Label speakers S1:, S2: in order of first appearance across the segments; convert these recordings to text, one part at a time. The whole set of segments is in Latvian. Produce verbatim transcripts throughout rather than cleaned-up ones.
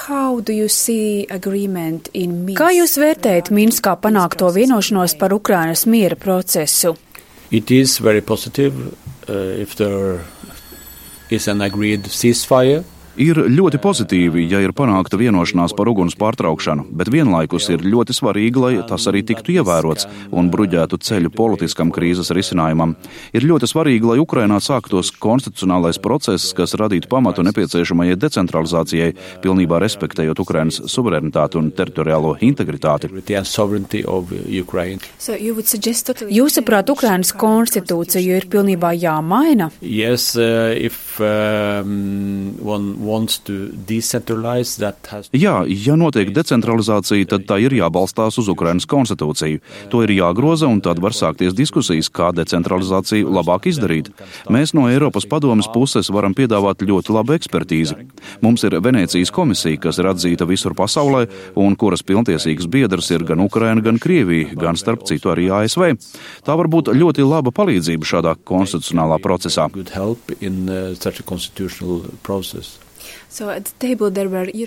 S1: Kā jūs vērtējat Minskā panākto vienošanos par Ukrainas miera procesu?
S2: It is very positive uh, if there is an agreed ceasefire.
S3: Ir ļoti pozitīvi, ja ir panākta vienošanās par uguns pārtraukšanu, bet vienlaikus ir ļoti svarīgi, lai tas arī tiktu ievērots un bruģētu ceļu politiskam krīzes risinājumam. Ir ļoti svarīgi, lai Ukrainā sāktos konstitucionālais process, kas radītu pamatu nepieciešamajai decentralizācijai, pilnībā respektējot Ukrainas suverenitāti un teritoriālo integritāti.
S1: So Jūsuprāt, Ukrainas konstitūcija ir pilnībā jāmaina?
S2: Yes, uh, if um, one
S3: Jā, ja notiek decentralizācija, tad tā ir jābalstās uz Ukrainas konstitūciju. To ir jāgroza, un tad var sākties diskusijas, kā decentralizāciju labāk izdarīt. Mēs no Eiropas padomes puses varam piedāvāt ļoti labu ekspertīzi. Mums ir Venēcijas komisija, kas ir atzīta visur pasaulē, un kuras pilntiesīgas biedrs ir gan Ukraina, gan Krievija, gan starp citu arī A S V. Tā var būt ļoti laba palīdzība šādā konstitucionālā procesā.
S1: So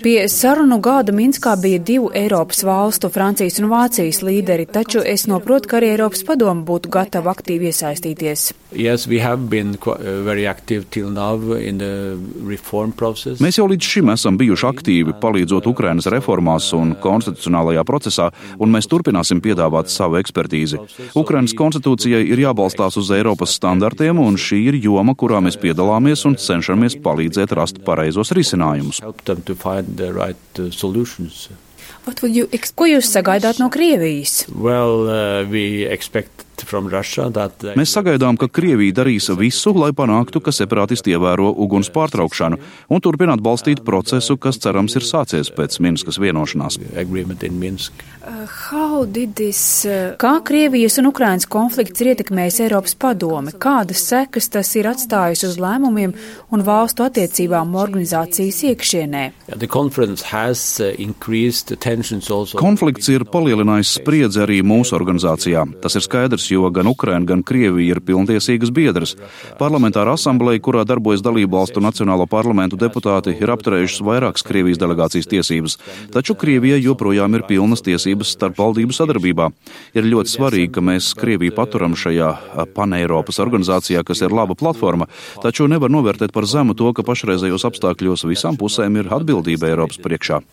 S1: Pie sarunu gada Minskā bija divu Eiropas valstu, Francijas un Vācijas līderi, taču es noprotu, ka arī Eiropas padome būtu gatava aktīvi iesaistīties.
S2: Yes, we have been very active till now in the reform process.
S3: Mēs jau līdz šim esam bijuši aktīvi, palīdzot Ukrainas reformās un konstitucionālajā procesā, un mēs turpināsim piedāvāt savu ekspertīzi. Ukrainas konstitūcijai ir jābalstās uz Eiropas standartiem, un šī ir joma, kurā mēs piedalāmies un cenšamies palīdzēt rast pareizos risinājumus.
S1: Ko jūs sagaidāt no Krievijas?
S2: Well, uh, we expect from Russia that they...
S3: Mēs sagaidām, ka Krievija darīs visu, lai panāktu, ka separātisti ievēro uguns pārtraukšanu un turpināt balstīt procesu, kas cerams ir sācies pēc Minskas vienošanās.
S1: Uh, this, uh... Kā Krievijas un Ukrainas konflikts ir ietekmējis Eiropas padome? Kādas sekas tas ir atstājis uz lēmumiem un valstu attiecībām organizācijas iekšienē?
S3: Konflikts ir palielinājis spriedzi arī mūsu organizācijā. Tas ir skaidrs, jo gan Ukraina, gan Krievija ir pilntiesīgas biedras. Parlamentāra asambleja, kurā darbojas dalībvalstu nacionālo parlamentu deputāti, ir apturējušas vairākas Krievijas delegācijas tiesības, taču Krievijai joprojām ir pilnas tiesības starp valdību sadarbībā. Ir ļoti svarīgi, ka mēs Krieviju paturam šajā paneiropas organizācijā, kas ir laba platforma, taču nevar novērtēt par zemu to, ka pašreizējos apstākļos visām pusēm ir atbildība Eiropas priekšā.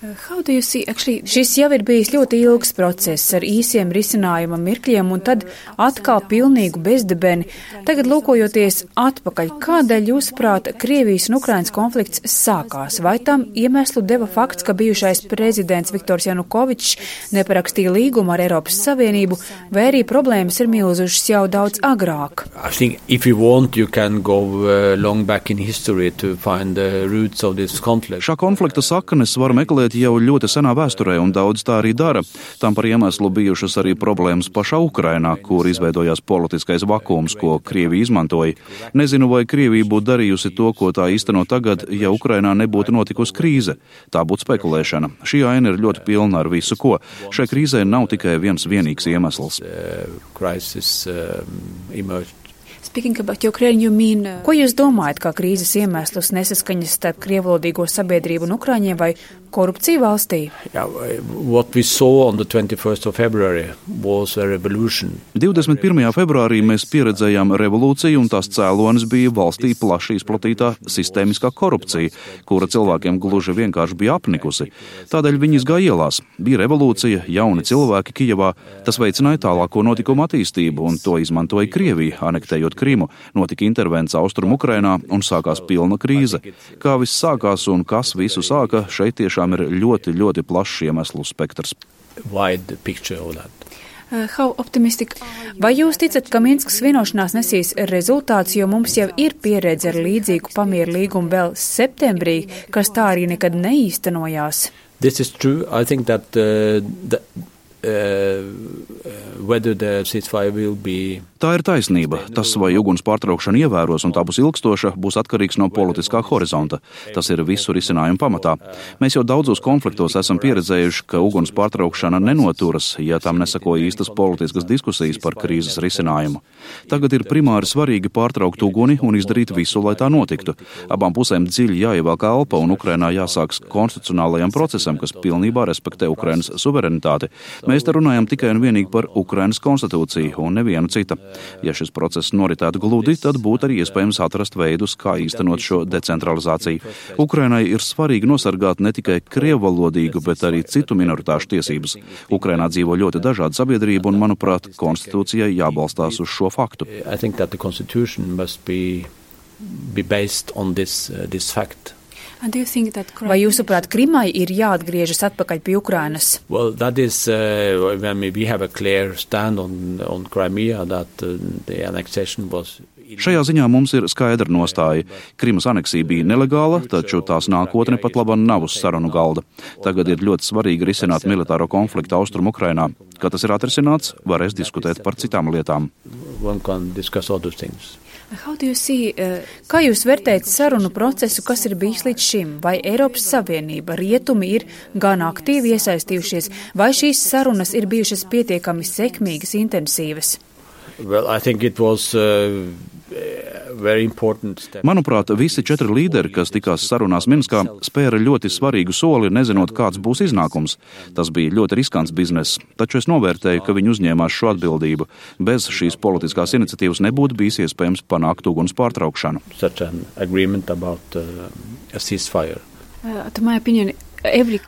S1: Actually, šis jau ir bijis ļoti ilgs process ar īsiem risinājuma mirkļiem un tad atkal pilnīgu bezdibeni. Tagad lūkojoties atpakaļ, kādēļ jūsuprāt Krievijas un Ukrainas konflikts sākās? Vai tam iemeslu deva fakts, ka bijušais prezidents Viktors Janukovičs neparakstīja līgumu ar Eiropas Savienību, vai arī problēmas ir milzušas jau daudz agrāk?
S2: I think if you want, you can go uh, long back in history to find the roots of this conflict.
S3: Šā konflikta saknes var meklēt jau ļoti senā vēsturē, un daudz tā arī dara. Tam par iemeslu bijušas arī problēmas pašā Ukrainā, kur izveidojās politiskais vakums, ko Krievija izmantoja. Nezinu, vai Krievija būtu darījusi to, ko tā īsteno tagad, ja Ukrainā nebūtu notikusi krīze. Tā būtu spekulēšana. Šī aina ir ļoti pilna ar visu, ko. Šai krīzē nav tikai viens vienīgs iemesls.
S2: Uh, crisis, uh, emerged.
S1: Ukraine, you mean, uh... Ko jūs domājat, kā krīzes iemeslus nesaskaņas starp krievvalodīgo sabiedrību un Ukraiņiem vai korupciju valstī?
S2: Yeah, what we saw on the twenty-first of February was a revolution.
S3: divdesmit pirmajā februārī mēs pieredzējām revolūciju, un tās cēlonis bija valstī plaši izplatītā sistēmiskā korupcija, kura cilvēkiem gluži vienkārši bija apnikusi. Tādēļ viņi izgāja ielās. Bija revolūcija, jauni cilvēki Kijevā, tas veicināja tālāko notikumu attīstību, un to izmantoja Krievija, anektējot Krimu, notika intervents Austrum Ukrainā un sākās pilna krīze. Kā viss sākās un kas visu sāka, šeit tiešām ir ļoti, ļoti plašs iemeslu spektrs.
S2: Wide picture of that.
S1: Uh, how optimistic? Vai jūs ticat, ka Minskas vienošanās nesīs rezultāts, jo mums jau ir pieredze ar līdzīgu pamieru līgumu vēl septembrī, kas tā arī nekad neīstenojās?
S2: This is true. I think that uh, the uh, whether the ceasefire will be.
S3: Tā ir taisnība. Tas, vai uguns pārtraukšana ievēros un tā būs ilgstoša, būs atkarīgs no politiskā horizonta. Tas ir visu risinājumu pamatā. Mēs jau daudzos konfliktos esam pieredzējuši, ka uguns pārtraukšana nenoturas, ja tam nesako īstas politiskas diskusijas par krīzes risinājumu. Tagad ir primāri svarīgi pārtraukt uguni un izdarīt visu, lai tā notiktu. Abām pusēm dziļi jāievelk elpa un Ukrainā jāsāks konstitucionālajam procesam, kas pilnībā respektē Ukrainas suverenitāti. Mēs te runājam tikai un vienīgi par Ukrainas konstitūciju un nevienu cita. Ja šis process noritētu gludi, tad būtu arī iespējams atrast veidus, kā īstenot šo decentralizāciju. Ukrainai ir svarīgi nosargāt ne tikai krievvalodīgu, bet arī citu minoritāšu tiesības. Ukrainā dzīvo ļoti dažāda sabiedrība un, manuprāt, konstitūcijai jābalstās uz šo faktu.
S2: I think that the constitution must be, be based on this, uh, this fact.
S1: Vai jūsuprāt, Krimai ir jāatgriežas atpakaļ pie Ukrainas?
S2: Well, that is, uh, when we have a clear stand on, on Crimea that uh, the annexation was.
S3: Šajā ziņā mums ir skaidra nostāja. Krimas aneksija bija nelegāla, taču tās nākotne pat labam nav uz sarunu galda. Tagad ir ļoti svarīgi risināt militāro konfliktu Austrumu Ukrainā. Kad tas ir atrisināts, varēs diskutēt par citām lietām.
S2: One can discuss other things.
S1: See, uh, kā jūs vērtējat sarunu procesu, kas ir bijis līdz šim? Vai Eiropas Savienība, rietumi ir gan aktīvi iesaistījušies, vai šīs sarunas ir bijušas pietiekami sekmīgas, intensīvas?
S2: Well, I think it was, uh, very important step.
S3: Manuprāt, visi četri līderi, kas tikās sarunās Minskā, spēra ļoti svarīgu soli, nezinot, kāds būs iznākums. Tas bija ļoti riskants bizness, taču es novērtēju, ka viņi uzņēmās šo atbildību. Bez šīs politiskās iniciatīvas nebūtu bijis iespējams panākt uguns pārtraukšanu.
S2: Such an agreement about uh, a ceasefire.
S1: Uh, to my opinion,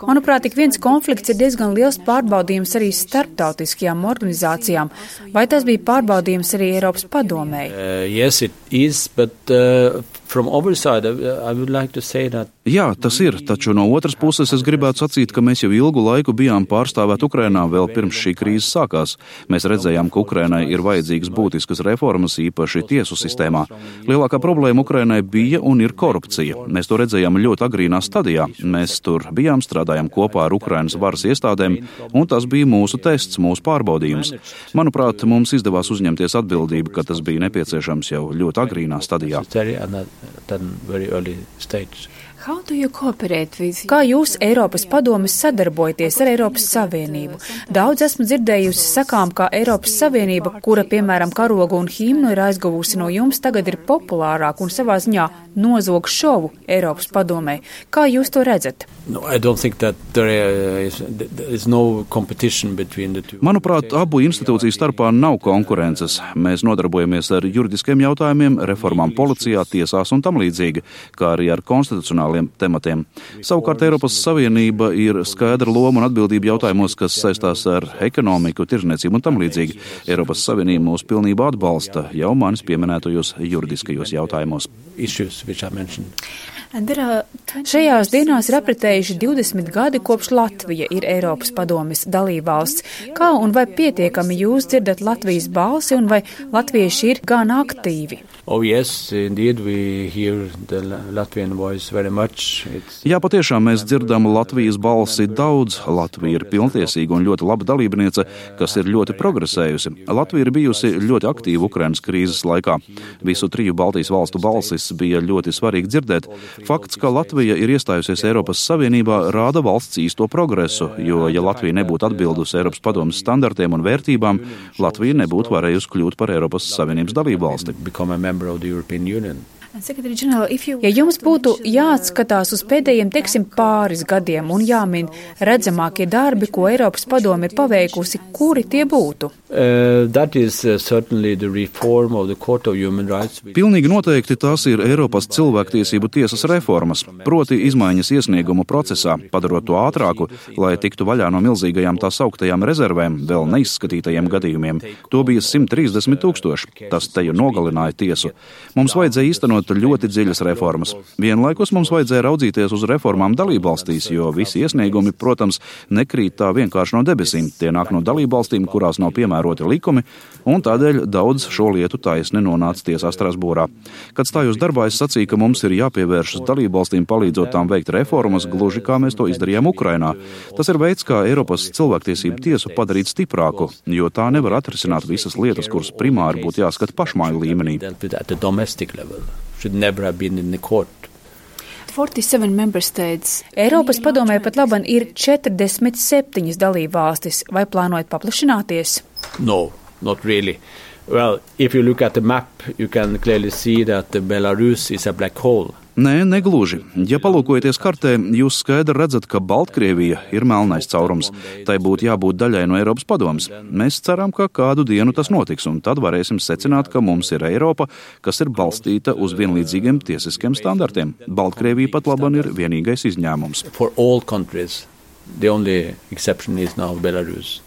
S1: Manuprāt, ik viens konflikts ir diezgan liels pārbaudījums arī starptautiskajām organizācijām. Vai tas bija pārbaudījums arī Eiropas padomēji?
S2: Uh, yes, it is, but uh, from our side, I would like to say that.
S3: Jā, tas ir, taču no otras puses es gribētu sacīt, ka mēs jau ilgu laiku bijām pārstāvēt Ukrainā vēl pirms šī krīze sākās. Mēs redzējām, ka Ukrainai ir vajadzīgas būtiskas reformas, īpaši tiesu sistēmā. Lielākā problēma Ukrainai bija un ir korupcija. Mēs to redzējām ļoti agrīnā stadijā. Mēs tur bijām, strādājām kopā ar Ukrainas varas iestādēm, un tas bija mūsu tests, mūsu pārbaudījums. Manuprāt, mums izdevās uzņemties atbildību, ka tas bija nepieciešams jau ļoti agrīnā stadijā.
S1: Kā jūs Eiropas padomes sadarbojaties ar Eiropas Savienību? Daudz esmu dzirdējusi sakām, ka Eiropas Savienība, kura, piemēram, karogu un himnu ir aizguvusi no jums, tagad ir populārāk un savā ziņā nozog šovu Eiropas padomē. Kā jūs to redzat?
S2: No, I don't think that there is, there is no competition between the two.
S3: Manuprāt, abu institūciju starpā nav konkurences. Mēs nodarbojamies ar juridiskiem jautājumiem, reformām policijā, tiesās un tam līdzīgi, kā arī ar konstitucionāliem tematiem. Savukārt Eiropas Savienība ir skaidra loma un atbildība jautājumos, kas saistās ar ekonomiku, tirzniecību un tam līdzīgi. Eiropas Savienība mūs pilnībā atbalsta jau manis pieminētajos juridiskajos jautājumos.
S2: Issues which I mentioned.
S1: Šajās dienās ir apritējuši divdesmit gadi, kopš Latvija ir Eiropas padomes dalībvalsts. Kā un vai pietiekami jūs dzirdat Latvijas balsi un vai latvieši ir gan aktīvi?
S2: Oh yes, indeed we hear the Latvian voice very much. It's...
S3: Jā, patiešām mēs dzirdam Latvijas balsi daudz. Latvija ir pilntiesīga un ļoti laba dalībniece, kas ir ļoti progresējusi. Latvija ir bijusi ļoti aktīva Ukrainas krīzes laikā. Visu triju Baltijas valstu balsis bija ļoti svarīgi dzirdēt. Fakts, ka Latvija ir iestājusies Eiropas Savienībā, rāda valsts īsto progresu, jo, ja Latvija nebūtu atbildusi Eiropas padomes standartiem un vērtībām, Latvija nebūtu varējusi kļūt par Eiropas Savienības dalību valsti. Ja jums būtu jāatskatās uz pēdējiem, teiksim, pāris gadiem un jāmin redzamākie darbi, ko Eiropas padome ir paveikusi, kuri tie būtu?
S2: Uh, that is uh, certainly the reform of the Court of Human Rights.
S3: Pilnīgi noteikti tās ir Eiropas cilvēktiesību tiesas reformas, proti izmaiņas iesniegumu procesā, padarot to ātrāku, lai tiktu vaļā no milzīgajām tā sauktajām rezervēm, vēl neizskatītajiem gadījumiem. To bija simt trīsdesmit tūkstoši. Tas te jau nogalināja tiesu. Mums vajadzēja īstenot īstenot ļoti dziļas reformas. Vienlaikus mums vajadzēja raudzīties uz reformām dalībvalstīs, jo visi iesniegumi, protams, nekrīt tā vienkārši no debesīm. Tie nāk no dalībvalstīm, kurās nav piemēroti likumi, un tādēļ daudz šo lietu taisni nonāca tiesā Strasbūrā. Kad stājos darbā, es sacīju, ka mums ir jāpievēršas dalībvalstīm, palīdzot tām veikt reformas, gluži kā mēs to izdarījām Ukrainā. Tas ir veids, kā Eiropas cilvēktiesību tiesu padarīt stiprāku, jo tā nevar atrisināt visas lietas, kuras primāri būtu jāskata pašmāju līmenī.
S1: Eiropas padomē pat laban ir četrdesmit septiņas dalībvalstis. Vai plānojat paplašināties?
S2: No, not really. Well, if you look at the map, you can clearly see that Belarus is a black hole.
S3: Nē, negluži. Ja palūkojaties kartē, jūs skaidri redzat, ka Baltkrievija ir melnais caurums. Tai būtu jābūt daļai no Eiropas padomes. Mēs ceram, ka kādu dienu tas notiks, un tad varēsim secināt, ka mums ir Eiropa, kas ir balstīta uz vienlīdzīgiem tiesiskiem standartiem. Baltkrievija pat laban ir vienīgais izņēmums.
S2: For all countries, the only exception is now Belarus.